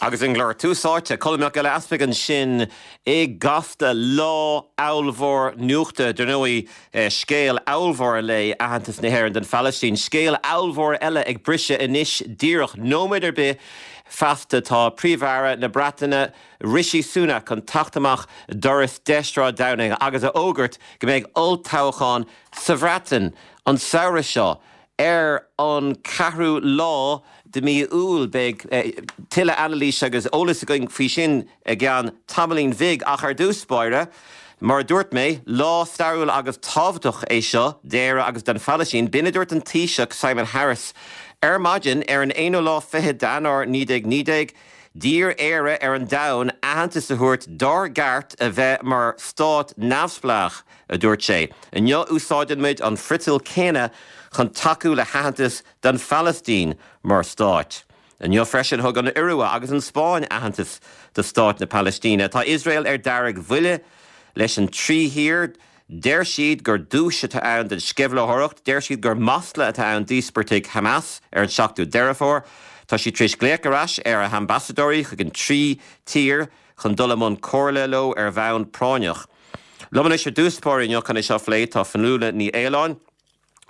Agus an glór Tús Áite, Colm Mac Giolla Easpaig ansin i gCasta, lá ollmhór nuachta, dar ndóigh, scéal ollmhór an lae, aitheantas na hÉireann don Phalaistín. Scéal ollmhór eile ag briseadh anois díreach, nóiméad ar bith feasta tá Príomh-Aire na Breataine, Rishi Sunak chun teacht amach doras 10 Sráid Downing agus a fhógairt go mbeidh olltoghchán sa Bhreatain an samhradh seo. Ar an ceathrú lá de mhí Iúil beidh tuilleadh anailíse agus eolas againn faoi sin i gceann tamaillín bhig ach ar dtús báire, mar a dúirt mé, lá stairiúil agus tábhachtach é seo d'Éire agus don Phalaistín. B'in a dúirt an Taoiseach Simon Harris ar maidin ar an aonú lá fichead d'Eanáir 1919. D'iarr Éire ar an domhan aitheantas a thabhairt dár gceart a bheith mar stát neamhspleách, a dúirt sé. Inniu úsáideann muid an friotal céanna chun tacú le haitheantas don Phalaistín mar stát. Inniu freisin thug an Iorua agus an Spáinn aitheantas do stát na Palaistíne. Tá Iosrael ar deargbhuile leis an trí thír. Deir siad gur duais atá ann don sceimhlitheoireacht. Deir siad gur masla atá ann d'íospartaigh Hamas ar an 7ú Deireadh Fómhair. Tá siad tar éis glaoch ar ais ar a hambasadóirí chuig an trí tír chun dul i mbun comhairle leo ar bhonn práinneach. Liom anois ar dtús báire inniu chun é seo a phlé tá Fionnuala Ní Aoláin,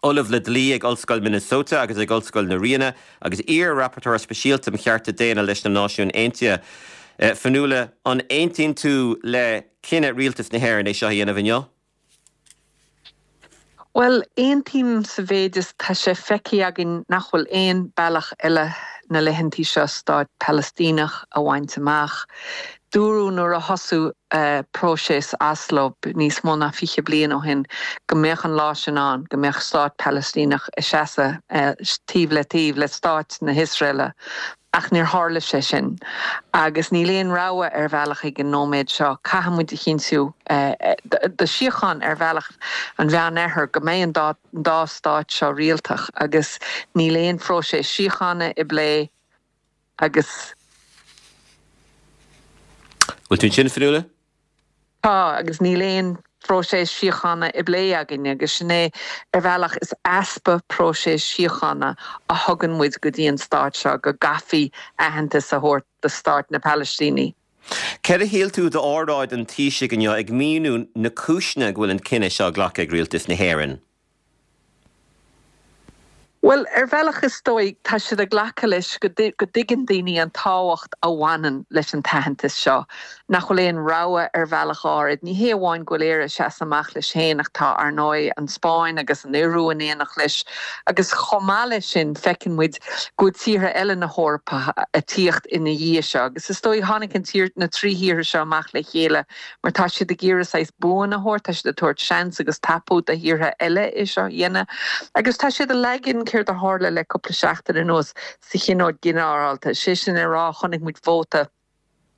Ollamh le Dlí ag Ollscoil Minnesota agus ag Ollscoil na Ríona agus iar-Rapporteur Speisialta um Chearta Daonna leis na Náisiúin Aontaithe. Fionnuala, an aontaíonn tú le cinneadh Rialtas na hÉireann é seo a dhéanamh inniu? Bhuel, aontaím sa mhéid is tá sé feicthe againn nach bhfuil aon bealach eile na laethantaí seo stát Palaistíneach a bhaint amach. Dúradh nuair a thosaigh próiseas Oslo níos mó ná 20 bliain ó shin go mbeadh an lá sin ann, go mbeadh stát Palaistíneach ag seasamh taobh le taobh le stát na hIosraeile. Ach níor tharla sé sin. Agus níl aon rogha ar bhealach ag an nóiméad seo. Caithfidh muid a chinntiú do shíocháin ar bhealach an Mheánoirthir go mbeidh an dá dá stát seo rialtach agus níl aon phróiseas síochána i bplé agus. Bhfuil tú ansin, Fionnuala? Tá, agus níl aon phróiseas síochána i bplé againn agus sin é, ar bhealach, is easpa próiseas síochána a thugann muid go dtí an stát seo, go gcaithfí aitheantas a thabhairt do stát na Palaistíní. Céard a shíl tú d'óráid an Taoisigh inniu ag míniú na cúiseanna go bhfuil an cinneadh seo glactha ag Rialtas na hÉireann? Bhuel, ar bhealach is dóigh, tá siad ag glacadh leis go dtuigeann daoine an tábhacht a bhaineann leis an t-aitheantas seo, nach bhfuil aon rogha ar bhealach áirid. Ní hé amháin go bhfuil Éire ag seasamh amach leis féin ach tá, ar ndóigh, an Spáinn agus an Iorua in éineacht leis agus chomh maith leis sin feiceann muid go bhfuil tíortha eile na hEorpa ag tíocht ina dhiaidh seo agus is dóigh tháinig an tír, na trí thíortha seo amach le chéile mar tá siad ag iarraidh saghas buan a thabhairt, tá siad ag tabhairt seans agus tapú do thíortha eile é seo a dhéanamh agus tá siad ag leagan céard a tharla le cúpla seachtain anuas sa Thionól Ginearálta, sé sin le rá chonaic muid vóta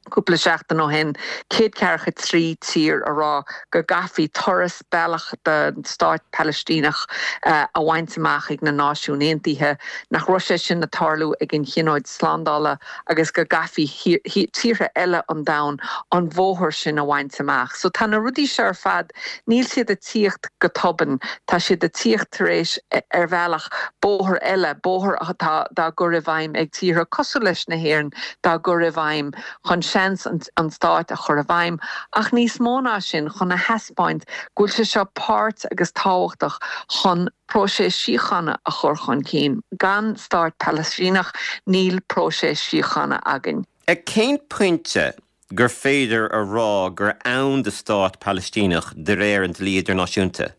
cúpla seachtain ó shin, 143 tír a rá go gcaithfí turas bealach don stát Palaistíneach a bhaint amach ag na Náisiúin Aontaithe, nach raibh sé sin ag tarlú ag an Thionól Slándála. agus go gcaithfí tíortha eile an domhain an bhóthar sin a bhaint amach. So tá na rudaí seo ar fad, níl siad ag tíocht go tobann, tá siad ag tíocht tar éis, ar bhealach, bóthar eile, bóthar atá dá gcur i bhfeidhm ag tíortha cosúil leis na hÉireann, dá gcur i bhfeidhm chun seans an stáit a chur i bhfeidhm, ach níos mó ná sin, chun a thaispeáint go bhfuil sé seo páirt agus tábhachtach chun próiseas síochána a chur chun cinn. Gan stát Palaistíneach níl próiseas síochána againn. Ag cén pointe gur féidir a rá gur ann do stát Palaistíneach de réir an dlí idirnáisiúnta?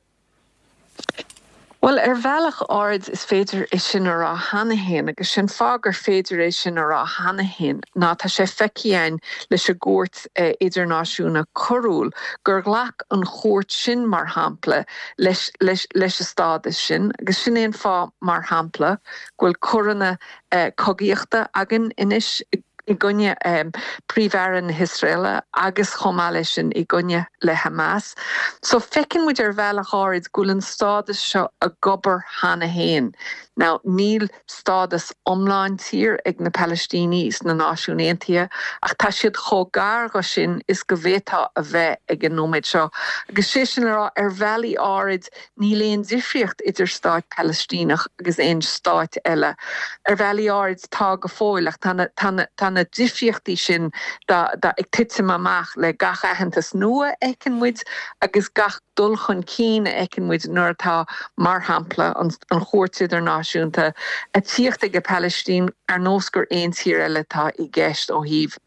Bhuel, ar bhealach áirid is féidir é sin a rá cheana féin, agus sé'n fáth gur féidir é sin a rá cheana féin ná tá sé feicthe againn leis an gCúirt Idirnáisiúna Coiriúil gur ghlac an chúirt sin, mar shampla, leis leis leis an stádas sin agus sin é an fáth, mar shampla, go bhfuil coireanna cogaíochta againn anois i gcoinne Príomh-Aire na hIosraeile agus chomh maith leis sin i gcoinne le Hamas. So feiceann muid ar bhealach áirid go bhfuil an stádas seo ag obair cheana féin. Now níl stádas iomlán tír ag na Palaistínigh sna Náisiúin Aontaithe, ach tá siad chomh gar dho sin is go bhféadfá a bheith ag an nóiméad seo. Agus sé sin le rá, ar bhealaí áirid, níl aon difríocht idir stát Palaistíneach agus aon stáit eile. Ar bhealaí áirid, tá go fóill, ach tá na, tá na, tá. na difríochtaí sin ag titim amach le gach aitheantas nua a fheiceann muid agus gach dul chun cinn a fheiceann muid nuair atá, mar shampla, an Chúirt Idirnáisiúnta ag tíocht ag an Phalaistín ar nós gur aon tír eile atá i gceist ó thaobh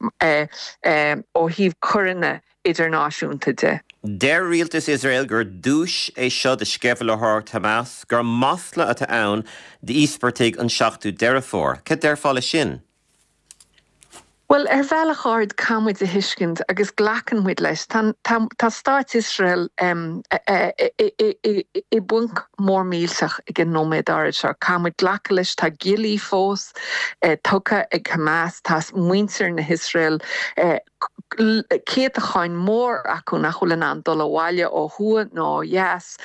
ó thaobh coireanna idirnáisiúnta de. Deir rialtas Iosrael gur duais é seo do sceimhlitheoireacht Hamas, gur masla atá ann d'íospartaigh an 7ú Deireadh Fómhair. Cad déarfá leis sin? Bhuel, ar bhealach áirid, caithfidh muid a thuiscint agus glacann muid leis, tá, tá, tá Stát Iosrael i bponc mór millteach ag an nóiméad áirid seo. Caithfidh muid glacadh leis, tá giollaí fós tugtha ag Hamas, tá muintir na hIosrael, céatacháin mór acu nach bhfuil in ann dul abhaile ó thuaidh nó ó dheas,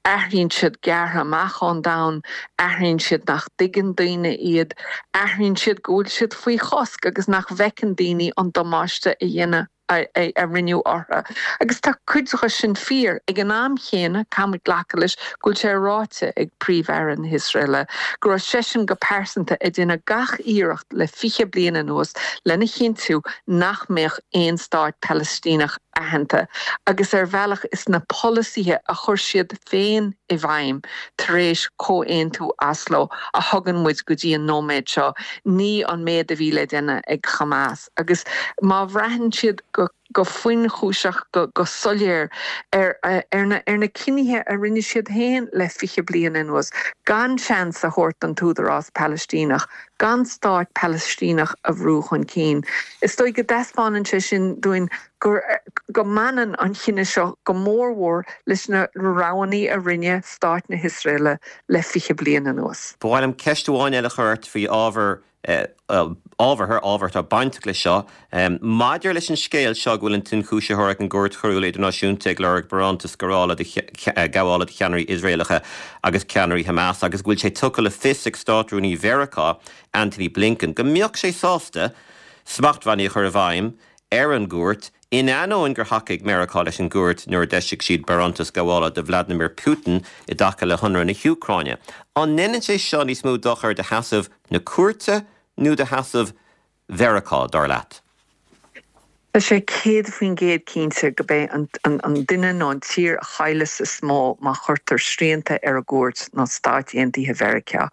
aithríonn siad gearrtha amach ón domhan, aithríonn siad nach dtuigeann daoine iad, aithríonn siad go bhfuil siad faoi chosc agus nach bhfeiceann daoine an damáiste a dhéanadh a rinneadh orthu. Agus tá cuid de sin fíor. Ag an am chéanna, caithfidh muid glacadh leis go bhfuil sé ráite ag Príomh-Aire na hIosraeile go raibh seisean go pearsanta ag déanamh gach iarracht le 20 bliain anuas lena chinntiú nach mbeadh aon stát Palaistíneach aitheanta agus ar bhealach is na polasaithe a chuir siad féin i bhfeidhm tar éis Chomhaontú Oslo a thugann muid go dtí an nóiméad seo, ní an méad a bhí le déanamh ag Hamas. Agus má bhraitheann siad go. go fuinchúiseach, go soiléir ar ar na cinnithe a rinne siad féin le 20 bliain anuas, gan seans a thabhairt don tÚdarás Palaistíneach, gan stát Palaistíneach a bhrú chun cinn. Is dóigh go dtaispeánann sé sin dúinn gur go mbaineann an chinneadh seo go mórmhór leis na roghanna a rinne Stát na hIosraeile le 20 bliain anuas. Ba mhaith liom ceist amháin eile a chur ort faoi ábhar ábhartha, ábhar atá bainteach leis seo. Maidir leis an scéal seo go bhfuil an t-ionchúisitheoir ag an gCúirt Choiriúil Idirnáisiúnta ag lorg barántas gabhála do cheannairí Iosraelacha agus ceannairí Hamas agus go bhfuil sé tugtha le fios ag Státrúnaí Mheiriceá, Antony Blinken, go mbeadh sé sásta smachtbhannaí a chur i bhfeidhm ar an gcúirt, in ainneoin gur thacaigh Meiriceá leis an gcúirt nuair a d'eisigh siad barántas gabhála do Vladimir Putin i dtaca le hionradh na hÚcráine. An ndéanann sé seo níos mó dochair do sheasamh na cúirte nó do sheasamh Mheiriceá, dar leat? Tá sé 100% cinnte go beidh an duine nó an tír a chailleas is mó má chuirtear srianta ar an gcúirt ná Stáit Aontaithe Mheiriceá.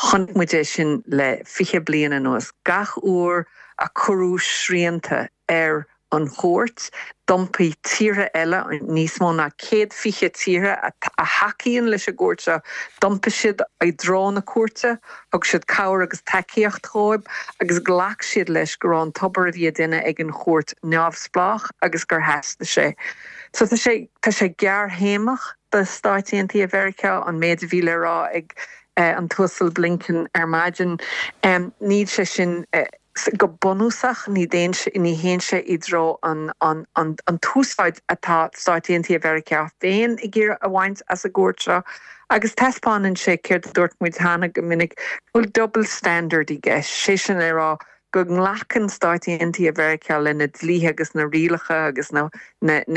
Chonaic muid é sin le 20 bliain anuas. Gach uair a cuireadh srianta ar an chúirt, d'iompaigh tíortha eile, níos mó ná 120 tíortha a thacaíonn leis an gcúirt seo, d'iompaigh siad i dtreo na cúirte, thug siad cabhair agus tacaíocht dhóibh agus ghlac siad leis go raibh an t-obair a bhí á déanamh ag an chúirt neamhspleách agus gur theastaigh sé. So tá sé, tá sé gearrthéamach do Stáit Aontaithe Mheiriceá an méid a bhí le rá ag an tUasal Blinken ar maidin. Níl sé sin. Go bunúsach, ní théann sé i dtreo an t-úsáid atá Stáit Aontaithe Mheiriceá féin ag iarraidh a bhaint as an gcuairt seo, agus taispeánann sé céard a dúirt muid cheana go minic, go bhfuil double standard i gceist, sé sin le rá go nglacann Stáit Aontaithe Mheiriceá le na dlíthe agus na rialacha agus na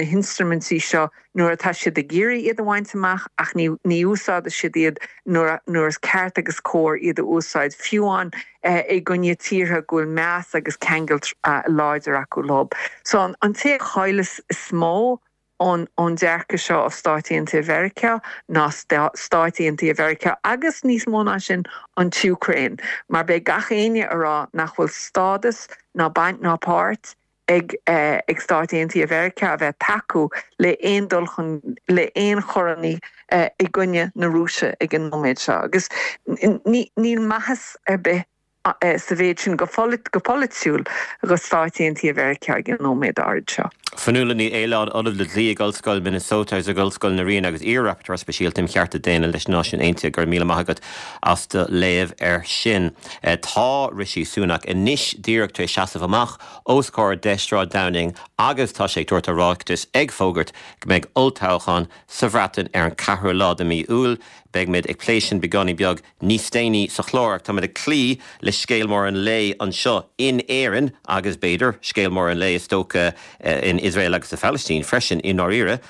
hinstruimintí seo nuair atá siad ag iarraidh iad a bhaint amach ach ní ní úsáideann siad iad nuair nuair is ceart agus cóir iad a úsáid, fiú amháin i gcoinne tíortha go bhfuil meas agus ceangal láidir acu leo. So an an té a chailleas is mó ón ón dearcadh seo ó Stáit Aontaithe Mheiriceá ná Stáit Aontaithe Mheiriceá agus níos mó ná sin an tÚcráin mar beidh gach éinne a rá nach bhfuil stádas ná baint ná páirt ag ag Stáit Aontaithe Mheiriceá a bheith tacú le aon dul chun le aon choireanna i gcoinne na Rúise ag an nóiméad seo agus ní níl maitheas ar bith sa mhéid sin go go polaitiúil do Stáit Aontaithe Mheiriceá ag an nóiméad áirid seo. Fionnuala Ní Aoláin, Ollamh le Dlí ag Ollscoil Minnesota agus ag Ollscoil na Ríona agus iar-Rapporteur Speisialta um Chearta Daonna leis na Náisiúin Aontaithe, go raibh míle maith agat as do léamh air sin. Tá Rishi Sunak anois díreach tar éis seasamh amach os comhair 10 Sráid Downing agus tá sé ag tabhairt a ráitis ag fógairt go mbeidh olltoghchán sa Bhreatain ar an 4ú lá de mhí Iúil. Beidh muid ag plé sin beagáinín beag níos déanaí sa chlár ach táimid ag cloí le scéal mór an lae anseo in Éirinn agus b'fhéidir scéal mór an lae is dócha in Iosrael agus sa Phalaistín freisin i ndáiríre.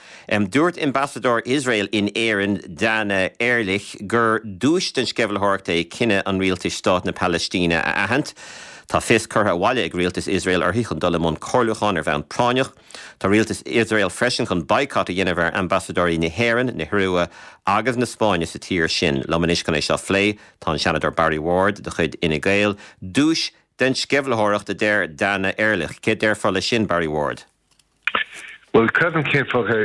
Dúirt Ambasadóir Iosrael in Éirinn, Dana Erlich, gur duais den sceimhlitheoireacht é cinneadh an rialtais stát na Palaistíne a aithint. Tá fios curtha abhaile ag rialtas Iosrael uirthi chun dul i mbun comhairliúcháin ar bhonn práinneach. Tá rialtas Iosrael freisin chun baghcat a dhéanamh ar ambasadóirí na hÉireann, na hIorua agus na Spáinne sa tír sin. Liom anois chun é seo a phlé tá an Seanadóir Barry Ward de chuid Fhine Gael. Duais den sceimhlitheoireacht a deir Dana Erlich. Céard déarfá leis sin, Barry Ward? Bhuel, creidim cén fáth go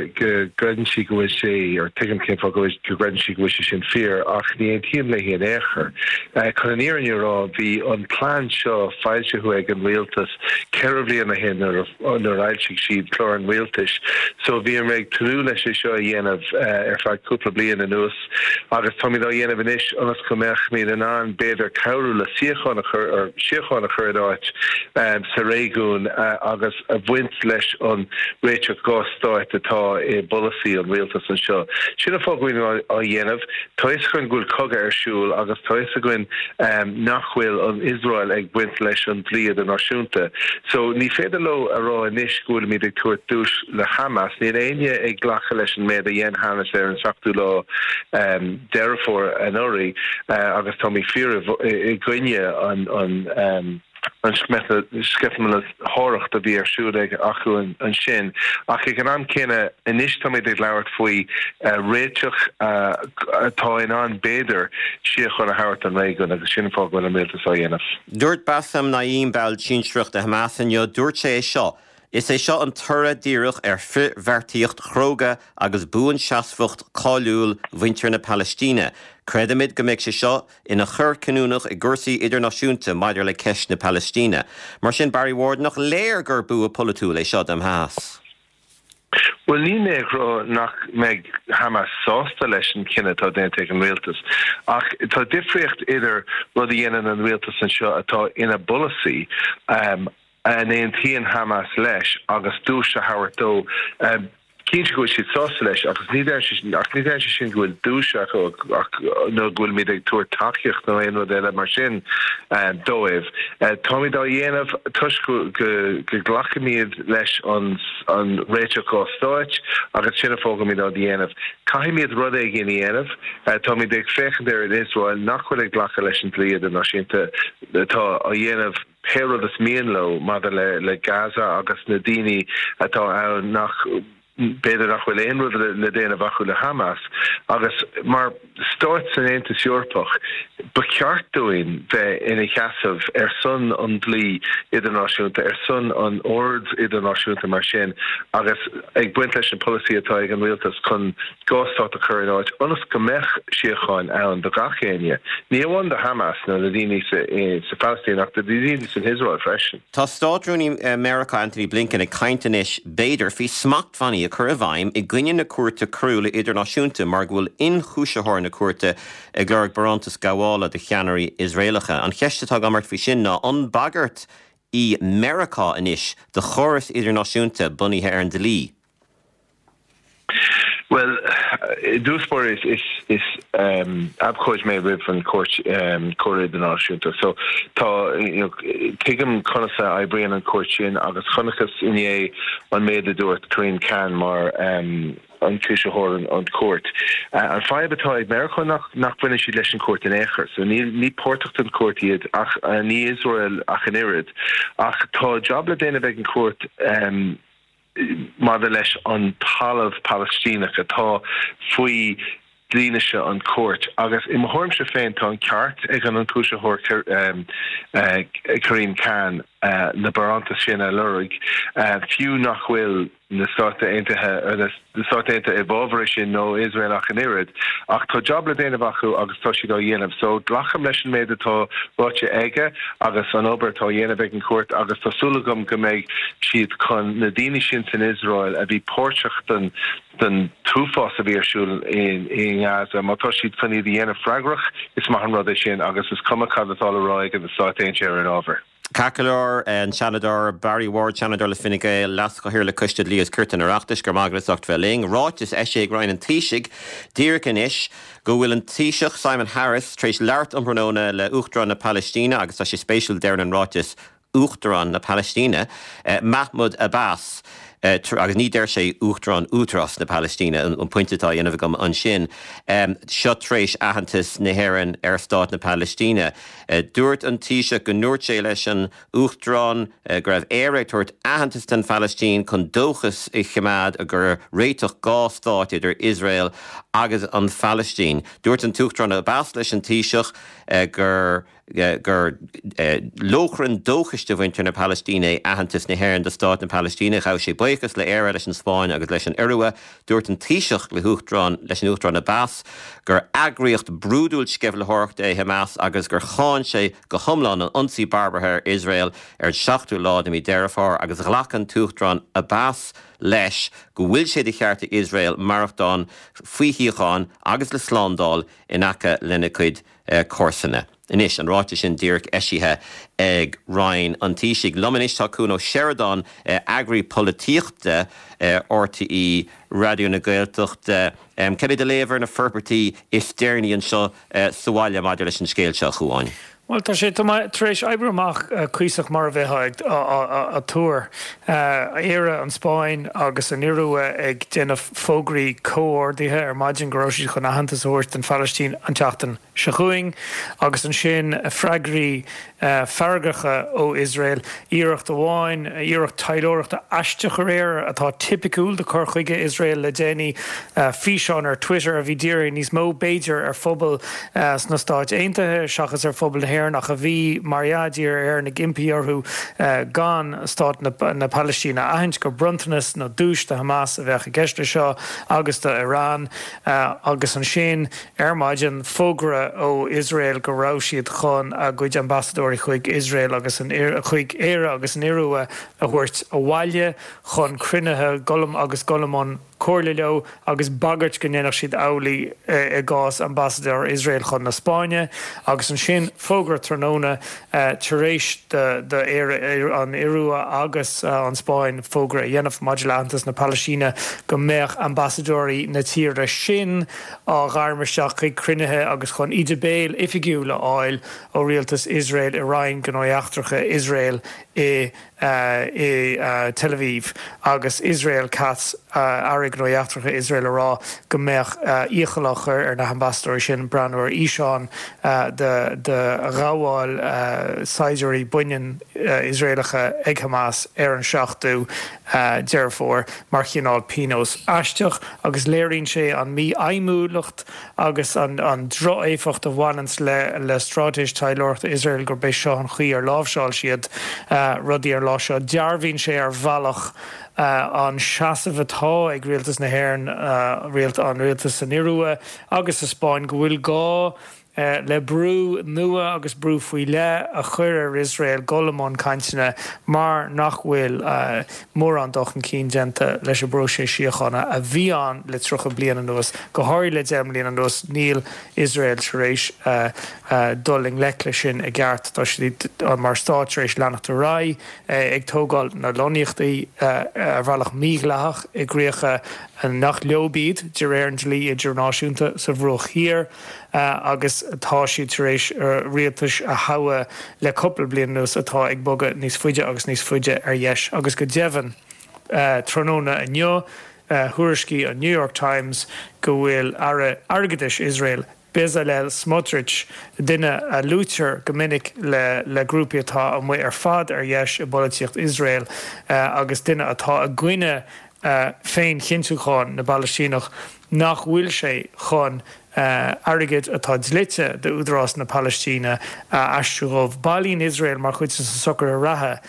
gcreideann sí go bhfuil sé, or tuigim cén fáth go gcreideann sí go bhfuil sé sin fíor, ach ní aontaím léi in aon chor. Chun an fhírinne a rá, bhí an plean seo foilsithe ag an rialtas 4 bhliain ó shin nuair a fhoilsigh siad clár an rialtais. So bhíomar ag tnúth leis é seo a dhéanamh ar feadh cúpla bliain anuas agus táimid á dhéanamh anois ionas go mbeimid in ann b'fhéidir cabhrú le síocháin a chur, or síocháin a chur in áit sa réigiún agus a bhaint leis an réiteach 2 stáit atá i bpolasaí an rialtais anseo. Sin an fáth go bhfuilimid á dhéanamh. Tá fhios againn go bhfuil cogadh ar siúl agus tá fhios againn nach bhfuil an Iosrael ag baint leis an dlí idirnáisiúnta. So ní féidir leo a rá anois go bhfuilimid ag tabhairt duais le Hamas. Níl éinne ag glacadh leis an méid a dhein Hamas ar an seachtú lá Deireadh Fómhair anuraidh agus táimid fíor i gcoinne an an sceimhlitheoireacht a bhí ar siúl ag acu ansin. Ach ag an am céanna, anois táimid ag labhairt faoi réiteach atá in ann, b'fhéidir, síocháin a thabhairt don réigiún agus sin an fáth go bhfuil an rialtas á dhéanamh. Dúirt Bassem Naim, ball sinsearach de Hamas inniu, dúirt sé é seo, Is é seo an toradh díreach ar frithbheartaíocht chróga agus buanseasmhacht cáiliúil mhuintir na Palaistíne. Creidimid go mbeidh sé seo ina chor cinniúnach i gcúrsaí idirnáisiúnta maidir le ceist na Palaistíne. Mar sin, Barry Ward, nach léir gur bua polaitiúil é seo do Hamas? Bhuel, níl mé ag rá nach mbeidh Hamas sásta leis an chinneadh atá déanta ag an rialtas, ach tá difríocht idir rud a dhéanann an rialtas anseo atá ina bpolasaí, a n-aontaíonn Hamas leis, agus duais a thabhairt dó. Cinnte go bhfuil siad sásta leis agus ní deireann sé ach ní deireann sé sin go bhfuil duais acu ach nó go bhfuilimid ag tabhairt tacaíocht nó aon rud eile mar sin dóibh. Táimid á dhéanamh toisc go go nglacaimid leis an an réiteach 2 stáit agus sin an fáth go bhfuilimid á dhéanamh. Caithfimid rud éigin a dhéanamh. Táimid ag féachaint ar an Iosrael nach bhfuil ag glacadh leis an dlí idirnáisiúnta atá á dhéanamh pé rud is mian leo maidir le le Gaza agus na daoine atá ann nach b'fhéidir nach bhfuil aon rud le déanamh acu le Hamas agus mar stáit san Aontas Eorpach ba cheart dúinn bheith ina sheasamh ar son an dlí idirnáisiúnta, ar son an oird idirnáisiúnta mar sin agus ag baint leis an polasaí atá ag an rialtas chun 2 stát a chur in áit ionas go mbeadh síocháin ann do gach éinne, ní amháin do Hamas nó na daoine sa Phalaistín ach do daoine san Iosrael freisin. Tá Státrúnaí Meiriceá Antony Blinken ag caint anois, b'fhéidir, faoi smachtbhannaí a chur i bhfeidhm i gcoinne na Cúirte Coiriúla Idirnáisiúnta mar go bhfuil ionchúisitheoir na cúirte ag lorg barántas gabhála do cheannairí Iosraelacha. An cheist atá agam ort faoi sin ná an bagairt í Meiriceá anois do chóras idirnáisiúnta bunaithe ar an dlí? Bhuel, i dtús báire is is abhcóid mé roimh an Chúirt Coiriúil Idirnáisiúnta. So tá, you know, tuigim conas a oibríonn an chúirt sin agus chonacthas inné an méid a dúirt Karim Khan mar ionchúisitheoir an chúirt. An fadhb atá ag Meiriceá nach nach bhaineann siad leis an chúirt in aon chor. So níl ní páirteach den chúirt iad ach ní Iosrael ach an oiread. Ach tá jab le déanamh ag an chúirt maidir leis an talamh Palaistíneach atá faoi dhlínse an chúirt agus i mo thuairimse féin tá an ceart ag an ionchúisitheoir Karim Khan na barántais sin a lorg fiú nach bhfuil na Stáit Aontaithe na Stáit Aontaithe i bhfabhar é sin nó Iosrael ach an oiread. Ach tá jab le déanamh acu agus tá siad á dhéanamh. So glacaim leis an méid atá ráite aige agus an obair atá á dhéanamh ag an chúirt agus tá súil agam go mbeidh siad chun na daoine sin san Iosrael a bhí páirteach den den t-uafás a bhí ar siúl i nGaza, má tá siad chun iad a dhéanamh freagrach, is maith an rud é sin agus is cuma cad atá le rá ag na Stáit Aontaithe ar an ábhar. Ceart go leor, an Seanadóir Barry Ward, Seanadóir le Fine Gael, Leas-Chathaoirleach Coiste Dlí agus Cirt an Oireachtais, go raibh maith agat as ucht bheith linn. Ráiteas eisithe ag Roinn an Taoisigh díreach anois go bhfuil an Taoiseach Simon Harris tar éis labhairt um thráthnóna le Uachtarán na Palaistíne agus tá sé spéisiúil, deireann an ráiteas, Uachtarán na Palaistíne, Mahmoud Abbas. Agus ní deir sé Uachtarán Údarás na Palaistíne, an pointe atá á dhéanamh agam ansin. Seo tar éis aitheantas na hÉireann ar Stát na Palaistíne. Dúirt an Taoiseach go ndúirt sé leis an Uachtarán go raibh Éire ag tabhairt aitheantas don Phalaistín chun dóchas a choimeád i gcomhair réiteach dhá stát idir Iosrael agus an Phalaistín. Dúirt an tUachtarán Abbas leis an Taoiseach gur gur lóchrann dóchais do mhuintir na Palaistíne é aitheantas na hÉireann do Stát na Palaistíne. Ghabh sé buíochas le Éire, leis an Spáinn agus leis an Iorua. Dúirt an Taoiseach le hUachtarán leis an Uachtarán Abbas gur eagraíocht brúidiúil sceimhlitheoireachta é Hamas agus gur cháin sé go hiomlán an ionsaí barbartha ar Iosrael ar an seachtú lá de mhí Deireadh Fómhair agus ghlac an tUachtarán Abbas leis go bhfuil sé de cheart ag Iosrael maireachtáil faoi shíocháin agus le slándáil in aice lena cuid comharsana. Anois, an ráiteas sin díreach eisithe ag Roinn an Taoisigh. Liom anois tá Cuan Ó Seireadáin, eagraí polaitíochta RTÉ Raidió na Gaeltachta. Cad é do léamh ar na forbairtí is deireanaí anseo sa bhaile maidir leis an scéal seo, a Chuáin? Bhuel, tá sé tar éis oibriú amach cuíosach mar a bheifeá ag tuar. Éire, an Spáinn agus an Iorua ag déanamh fógraí comhordaithe ar maidin go raibh siad chun aitheantas a thabhairt don Phalaistín an tseachtain seo chugainn agus ansin freagraí feargacha ó Iosrael. Iarracht amháin, iarracht taidhleoireachta aisteach aréir atá tipiciúil de chur chuige Iosrael le déanaí, físeán ar Twitter a bhí dírithe níos mó, b'fhéidir, ar phobal sna Stáit Aontaithe seachas ar phobal na hÉireann ach a bhí, mar dhea, dírithe ar Éirinn ag impí orthu gan Stát na Palaistíne a aithint, gur bronntanas nó duais do Hamas a bheadh i gceist leis seo agus do Iran. Agus ansin ar maidin, fógra ó Iosrael go raibh siad chun a gcuid ambasadóirí chuig Iosrael agus an chuig Éire agus an Iorua a thabhairt abhaile chun cruinnithe dul agus dul i mbun comhairle leo agus bagairt go ndéanfadh siad amhlaidh i gcás ambasadóir Iosrael chun na Spáinne. Agus ansin fógra tráthnóna tar éis do Éire, an Iorua agus an Spáinn fógra a dhéanamh maidir le aitheantas na Palaistíne go mbeadh ambasadóirí na tíre sin á ghairm isteach chuig cruinnithe agus chun íde béil oifigiúil a fháil ó rialtas Iosrael i Roinn Gnóthaí Eachtracha Iosrael i i Tel Aviv agus Israel Katz, Aire Gnóthaí Eachtracha Iosrael a rá go mbeadh iachall á chur ar na hambasadóirí sin breathnú ar fhíseán de ghabháil saighdiúirí baineann Iosraelacha ag Hamas ar an 7ú Deireadh Fómhair mar chineál pionós aisteach agus léiríonn sé an mhífheidhmiúlacht agus an droch-éifeacht a bhaineanns le straitéis taidhleoireachta Iosrael gurb é seo an chaoi ar láimhseáil siad rudaí ar an lá seo. Dearbhaíonn sé ar bhealach an seasamh atá ag rialtas na hÉireann, an rialtas san Iorua agus sa Spáinn go bhfuil gá le brú nua agus brú faoi leith a chur ar Iosrael dul i mbun cainteanna mar nach bhfuil mórán dul chun cinn déanta leis an bpróiseas síochána a bhí ann le 30 bliain anuas, go háirithe le 10 mbliana anuas. Níl Iosrael tar éis dul i ngleic leis sin i gceart. Tá siad mar stát tar éis leanacht ar aghaidh ag tógáil na lonnaíochtaí ar bhealach mídhleathach i gcríocha nach leo iad de réir an dlí idirnáisiúnta sa Bhruach Thiar. agus tá siad tar éis rialtais a thoghadh le cúpla bliain anuas atá ag bogadh níos faide agus níos faide ar dheis agus go deimhin tráthnóna inniu thuairiscigh an New York Times go bhfuil Aire Airgeadais Iosrael Bezalel Smotrich, duine a luaitear go minic le le grúpaí atá amuigh ar fad ar dheis i bpolaitíocht Iosrael agus duine atá i gcoinne féinchinntiúchán na bPalaistíneach, nach bhfuil sé chun airgead atá dlite d'Údarás na Palaistíne a aistriú dhóibh. Bailíonn Iosrael, mar chuid de na socruithe reatha,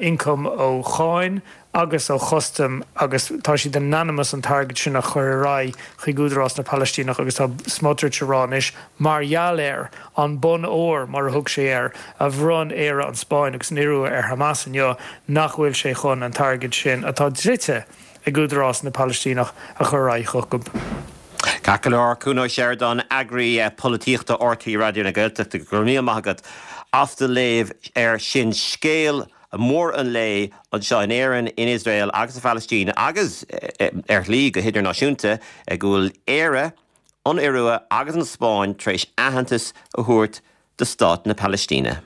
ioncam ó cháin agus ó chustaim agus tá siad in ainm is an t-airgead sin a chur ar aghaidh chuig Údarás na Palaistíneach agus tá Smotrich a rá anois, mar gheall ar an bonn óir, mar a thug sé air, a bhronn Éire, an Spáinn agus an Iorua ar Hamas inniu, nach bhfuil sé chun an t-airgead sin, atá dlite ag Údarás na Palaistíneach, a chur ar aghaidh chucu. Ceart go leor, Cuan Ó Seireadáin, eagraí polaitíochta RTÉ Raidió na Gaeltachta, go raibh míle maith agat as do léamh air sin. Scéal mór an lae anseo in Éirinn, in Iosrael agus sa Phalaistín agus, ar shlí, go hidirnáisiúnta, go bhfuil Éire, an Iorua agus an Spáinn tar éis aitheantas a thabhairt do Stát na Palaistíne.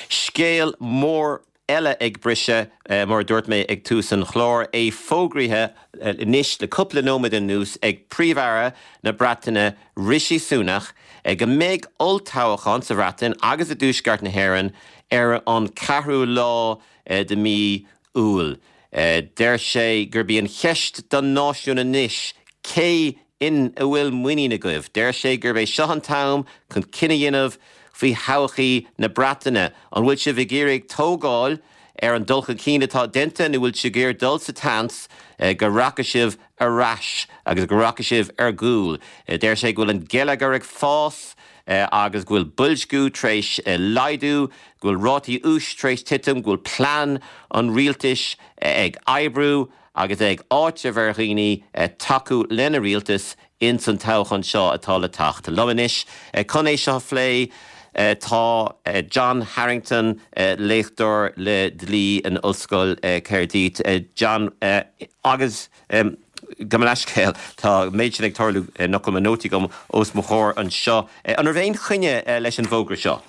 Scéal mór. eile ag briseadh, mar a dúirt mé ag tús an chláir, é fógraithe anois le cúpla nóiméad anuas ag Príomh-Aire na Breataine Rishi Sunak go mbeidh olltoghchán sa Bhreatain agus i dTuaisceart na hÉireann ar an ceathrú lá de mhí Iúil. Deir sé gurb í an cheist don náisiún anois cé ina bhfuil muinín agaibh. Deir sé gurb é seo an t-am chun cinneadh a dhéanamh faoi thodhchaí na Breataine. An bhfuil sibh ag iarraidh tógáil ar an dul chun cinn atá déanta nó bhfuil sibh ag iarraidh dul sa tseans go rachaidh sibh ar ais agus go rachaidh sibh ar gcúl? Deir sé go bhfuil an geilleagar ag fás agus go bhfuil boilsciú tar éis laghdú, go bhfuil rátaí úis tar éis titim, go bhfuil plean an rialtais ag oibriú agus é ag áiteamh ar dhaoine tacú lena rialtas ins an toghchán seo atá le teacht. Liom anois chun é seo a phlé tá John Harrington, léachtóir le dlí in Ollscoil Caerdydd. John, agus gabh mo leithscéal, tá an méid sin ag tarlú nach bhfuil mo nótaí agam os mo chomhair anseo. An raibh aon choinne leis an bhfógra seo?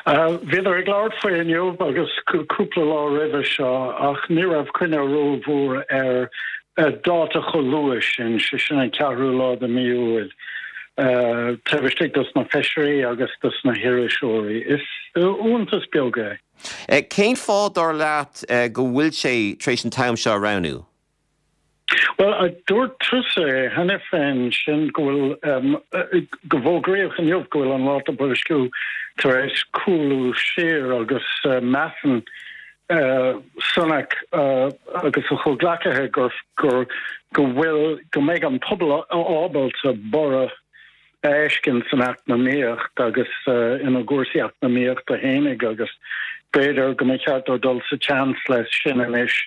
Bhíodar ag labhairt faoi inniu agus cúpla lá roimhe seo ach ní raibh coinne rómhór ar dáta chomh luath sin, sé sin an ceathrú lá de mí Iúil, taobh istigh dos na feisirí agus dos na hiriseoirí. Is iontas beag é. Cén fáth, dar leat, go bhfuil sé tar éis an t-am seo a roghnú? Bhuel, dúirt tusa é cheana féin, sin go bhfuil, go bhfógraíodh inniu go bhfuil an ráta boilsciú tar éis cúlú siar agus measann Sunak agus a chomhghleacaithe gur, gur, go bhfuil, go mbeidh an pobal ábalta borradh a fheiscint san eacnamaíocht agus ina gcúrsaí eacnamaíochta fhéinig agus b'fhéidir go mba cheart dó dul sa tseans leis sin anois.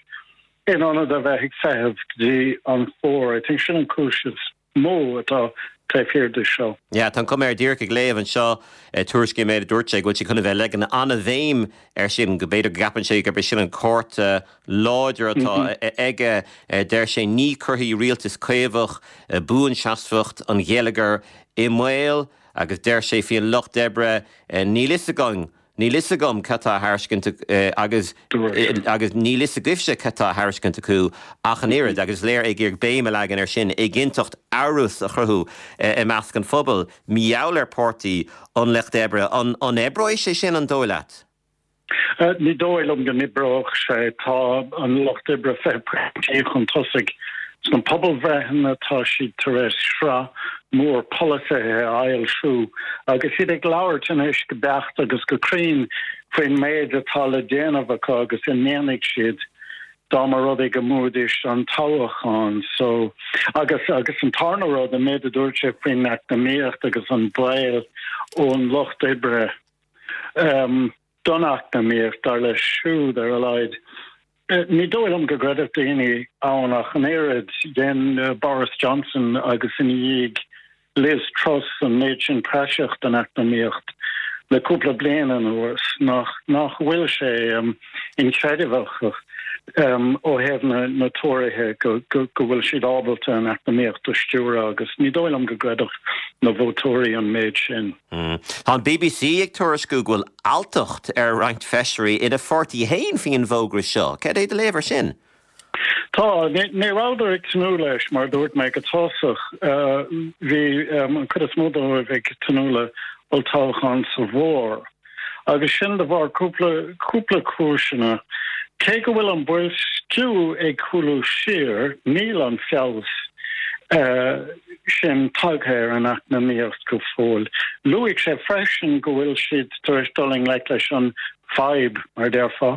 In ionad a bheith ag feitheamh go dtí an fómhar. I think sin an cúis is mó atá taobh thiar de seo. Yeah, tá an cuma air díreach ag léamh anseo tuairiscí an méid a dúirt sé, go bhfuil sé chun a bheith ag leagan an-bhéim air sin, go b'fhéidir go gceapann sé gurb é sin an cárta láidir atá aige. Deir sé ní chuirfidh rialtas caomhach buanseasmhacht an gheilleagair i mbaol agus deir sé faoin lucht oibre níl fhios againn Níl fhios agam cad tá á thairiscint agus agus níl fhios agaibhse cad tá á thairiscint acu ach an oiread, agus is léir ag iarraidh béim a leagan air sin, éiginnteacht, amhras a chruthú i measc an phobail. Mar gheall ar Páirtí an Lucht Oibre, an oibreoidh sé sin, an dóigh leat? Ní dóigh liom go n-oibreoidh sé. Tá an Lucht Oibre 20 pointí chun tosaigh Sna pobalbhreitheanna tá siad tar éis sraith mhór polasaithe a fhoilsiú agus iad ag labhairt anois go beacht agus go cruinn faoin méid atá le déanamh acu agus a ndéanfaidh siad dá mba rud é go mbuafaidís an toghchán. So, agus agus an tarna rud, an méid a dúirt sé faoin eacnamaíocht agus an baol ón lucht oibre um, don eacnamaíocht, dar leis siúd ar a laghad. Ní dóigh liom go gcreidfeadh daoine ann ach an oiread. Dhein Boris Johnson agus ina dhiaidh Liz Truss an méid sin praiseach den eacnamaíocht le cúpla bliain anuas nach nach bhfuil sé inchreidmheach ó thaobh na Tóraithe go go bhfuil siad ábalta an eacnamaíocht a stiúradh agus ní dóigh liom go gcreidfeadh na vótóirí an méid sin. Tá an bbc ag tuairisciú go bhfuil alltacht ar roinnt feisirí ina pháirtí féin faoin bhfógra seo. Cad é do léamh air sin? Tá. Ní rabhadar ag tnúth leis, mar a dúirt mé go tosach. Bhí an chuid is mó dóibh ag tnúth le olltoghchán sa bhfómhar. Agus sin de bharr cúpla cúpla cúiseanna. Cé go bhfuil an boilsciú ag cúlú siar, níl an feabhas sin tagtha ar an eacnamaíocht go fóill. Luaigh sé freisin go bhfuil siad tar éis dul i ngleic leis an fadhb, mar a déarfá,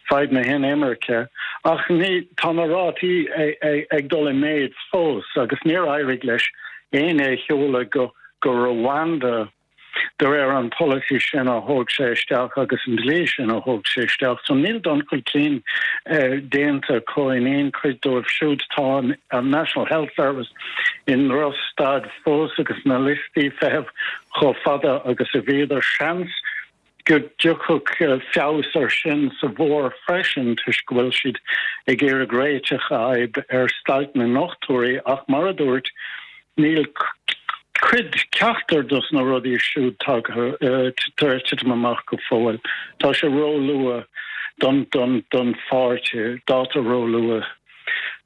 fadhb na hinimirce, ach ní, tá na rátaí ag dul i méid fós agus níor éirigh leis éinne a sheoladh go go Rwanda. de réir an polasaí sin a thóg sé isteach agus an dlí sin a thóg sé isteach. So níl dul chun cinn déanta acu in aon chuid dóibh siúd. Tá an National Health Service i ndrochstaid fós agus na liostaí feithimh chomh fada agus a bhíodar. Seans go dtiocfadh feabhas air sin sa bhfómhar freisin toisc go bhfuil siad ag iarraidh réiteach a fhadhb ar stailc na ndochtúirí ach mar a dúirt níl. cuid, ceachtar dos na rudaí siúd tagtha tar éis titim amach go fóill. Tá sé róluath don don don pháirtí, dáta róluath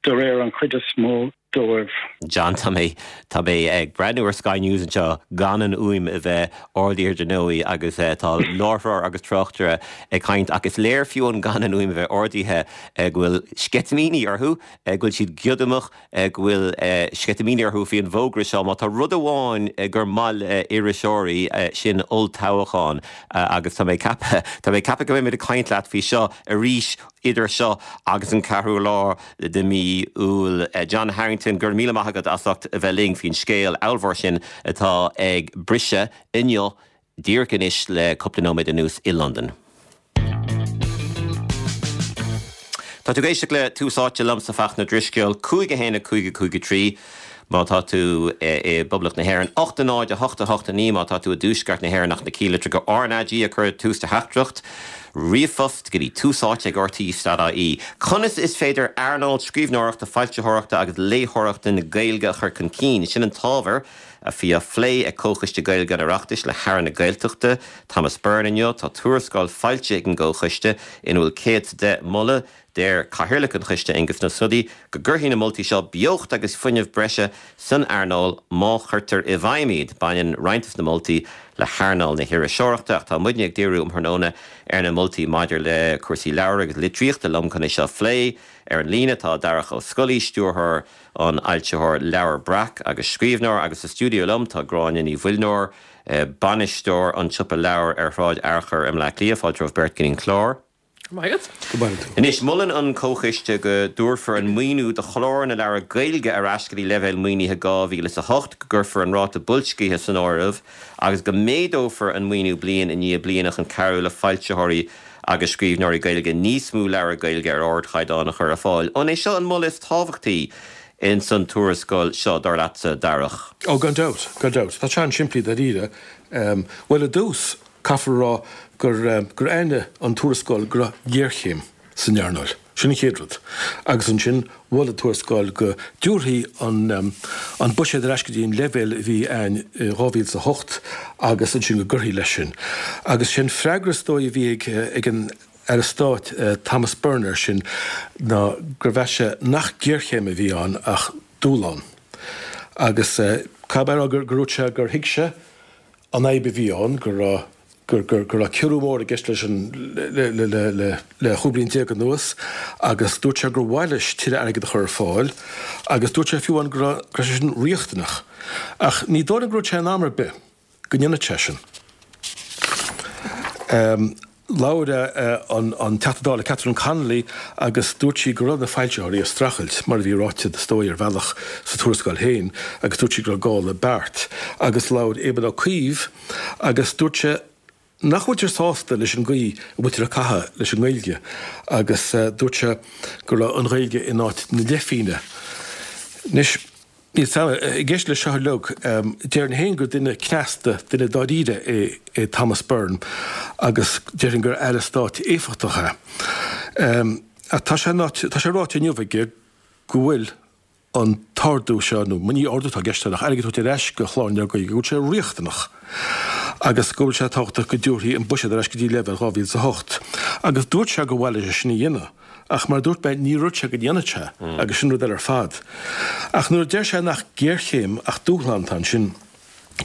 de réir an chuid is mó dóibh. John, tá mé, tá mé ag breathnú ar Sky News anseo gan an fhuaim a bheith ardaithe dar ndóigh agus tá láithreoir agus tráchtaire ag caint ach is léir fiú amháin gan an fhuaim a bheith ardaithe go bhfuil sceitimíní orthu, go bhfuil siad giodamach. go bhfuil sceitimíní orthu faoi an bhfógra seo. Má tá rud amháin gur maith le iriseoirí, sin olltoghchán agus tá mé ag ceapadh, tá mé ag ceapadh go mbeimid ag caint leat faoi seo arís idir seo agus an ceathrú lá de mhí Iúil. John Harrington, go raibh míle maith agat as ucht a bheith linn faoin scéal ollmhór sin atá ag briseadh inniu díreach anois le cúpla nóiméad anuas i Londain. Tá tú ag éisteacht le Tús Áite liomsa Fachtna Drisceoil, 5 1 5 5 3 má tá tú i bPoblacht na hÉireann, 8 0 8 8 9 má tá tú i dTuaisceart na hÉireann ach na cinnlitreacha RnaG a chur tús do theachtaireacht ríomhphost go dtí Tús Áite ag rte.ie. Conas is féidir earnáil scríbhneoireachta, foilsitheoireachta agus léitheoireachta na Gaeilge a chur chun cinn? Sin an t-ábhar a bhí á phlé ag Comhchoiste Gaeilge an Oireachtais le hAire na Gaeltachta, Thomas Byrne inniu. Tá tuarascáil foilsithe ag an gComhchoiste ina bhfuil 110 moladh. Deir Cathaoirleach an choiste, Aengus Ó Snodaigh, go gcuirfidh na moltaí seo beocht agus fuinneamh breise san earnáil má chuirtear i bhfeidhm iad. Baineann roinnt de na moltaí le hearnáil na hiriseoireachta ach tá muidne ag díriú um thráthnóna ar na moltaí maidir le cúrsaí leabhar agus litríochta. Liom chun é seo a phlé ar an líne tá Darach Ó Scolaí, stiúrthóir an fhoilsitheoir Leabhar Breac agus scríbhneoir agus sa stiúideo liom tá Gráinne Ní Mhuilneoir, bainisteoir an tsiopa leabhar ar Shráid Fhearchair i mBleá Cliath. Fáilte romhaibh beirt go dtí an clár. Go maith agat. Go maith agat. Anois, molann an Comhchoiste go dtabharfar an maoiniú do chlár na leabhar Gaeilge ar ais go dtí leibhéal maoinithe 2008, go gcuirfear an ráta boilscithe san áireamh agus go méadófar an maoiniú bliain i ndiaidh bliana chun cabhrú le foilsitheoirí agus scríbhneoirí Gaeilge níos mó leabhar Gaeilge ar ardchaighdeán a chur ar fáil. An é seo an moladh is tábhachtaí ins an tuarascáil seo, dar leatsa, Darach? Ó, gan dabht, gan dabht. Tá sé an-simplí dáiríre. Bhuel, i dtús, caithfear a rá gur, gur aithin an tuarascáil go raibh géarchéim san earnáil. Sin an chéad rud. Agus ansin, mhol an tuarascáil go dtabharfaí an an buiséad ar ais go dtí an leibhéal a bhí ann i 2008 agus ansin go gcuirfí leis sin. Agus sé an freagra is dóigh a bhí ag ag an Aire Stáit Thomas Byrne air sin ná gur mheas sé nach géarchéim a bhí ann ach dúshlán. Agus caithfidh mé a rá gur gur dúirt sé gur thuig sé an fhadhb a bhí ann, go raibh go raibh ciorrú mór i gceist leis an le 15 bliain anuas agus dúirt sé gur mhaith leis tuilleadh airgid a chur ar fáil agus dúirt sé fiú amháin go raibh go raibh sé sin riachtanach. Ach ní dóigh liom gur dhúirt sé in am ar bith go ndéanfadh sé sin. Labhair an Teachta Dála Catherine Connolly agus dúirt sí go raibh na foilsitheoirí ag streachailt, mar a bhí ráite is dóigh ar bhealach sa tuarascáil féin, agus dúirt sí go raibh gá le beart. Agus labhair Éamon Ó Cuív agus dúirt sé nach bhfuiltear sásta leis an gcaoi a bhfuiltear ag caitheamh leis an nGaeilge agus dúirt sé go raibh an Ghaeilge in áit na leithphingne. Anois. Níl 's a'm, ag éisteacht leis seo uilig, déarfainn féin gur duine cneasta, duine dáiríre é é Thomas Byrne agus déarfainn gur Aire Stáit éifeachtach é. Ach tá sé tá sé ráite inniu aige go bhfuil an t-ardú seo, nó ní ardú atá i gceist ach airgead a thabhairt ar ais go Chlár na Leabhar Gaeilge, go bhfuil sé riachtanach agus go bhfuil sé tábhachtach go dtabharfaí an buiséad ar ais go dtí leibhéal 2008. Agus dúirt sé gur mhaith leis é sin a dhéanamh. Ach mar a dúirt mé, níor dhúirt sé go ndéanfadh sé, agus sin rud eile ar fad. Ach nuair a deir sé nach géarchéim ach dúshlán atá ansin,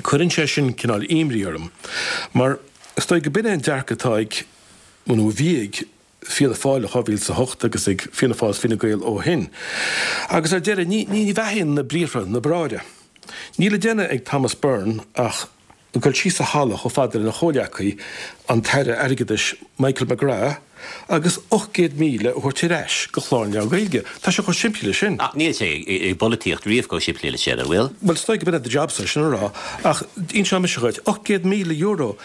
cuireann sé sin cineál imní orm. Mar is dóigh go b'in é an dearcadh atá ag, nó a bhí ag, Fianna Fáil i 2008 agus ag Fianna Fáil is Fine Gael ó shin. Agus ar deireadh, ní ní bheathaíonn na briathra na bráithre. Níl le déanamh ag Thomas Byrne ach dul síos an halla chomh fada lena chomhleacaí, an tAire Airgeadais Michael McGrath, agus 800,000 a thabhairt ar ais go Clár na Leabhar Gaeilge. Tá sé chomh simplí leis sin. Ach níl sé i bpolaitíocht riamh chomh simplí leis sin, an bhfuil? Bhuel, is dóigh go b'in é do jobsa, sin a rá. Ach inseoidh mise dhuit, €800,000,